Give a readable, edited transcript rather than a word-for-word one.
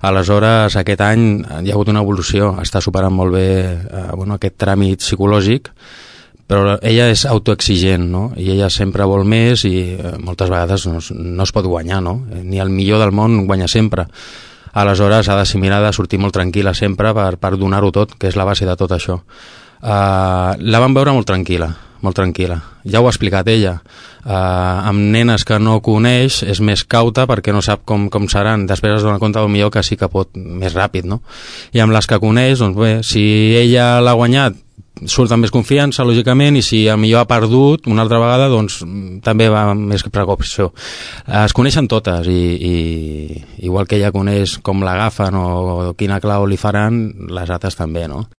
Aleshores, aquest any hi ha hagut una evolució, està superant molt bé aquest tràmit psicològic, però ella és autoexigent, no? I ella sempre vol més i moltes vegades no es pot guanyar, no? Ni el millor del món guanya sempre. Aleshores ha d'assimilar, de sortir molt tranquil·la sempre per donar-ho tot, que és la base de tot això. La vam veure molt tranquil·la, molt tranquil·la. Ja ho ha explicat ella. Amb nenes que no coneix és més cauta perquè no sap com seran. Després es dona compte millor que sí que pot més ràpid, no? I amb les que coneix, doncs bé, si ella l'ha guanyat, surt amb més confiança, lògicament, i si millor ha perdut una altra vegada, doncs també va amb més precaució. Es coneixen totes i igual que ella coneix com l'agafen o quina clau li faran, les altres també, no?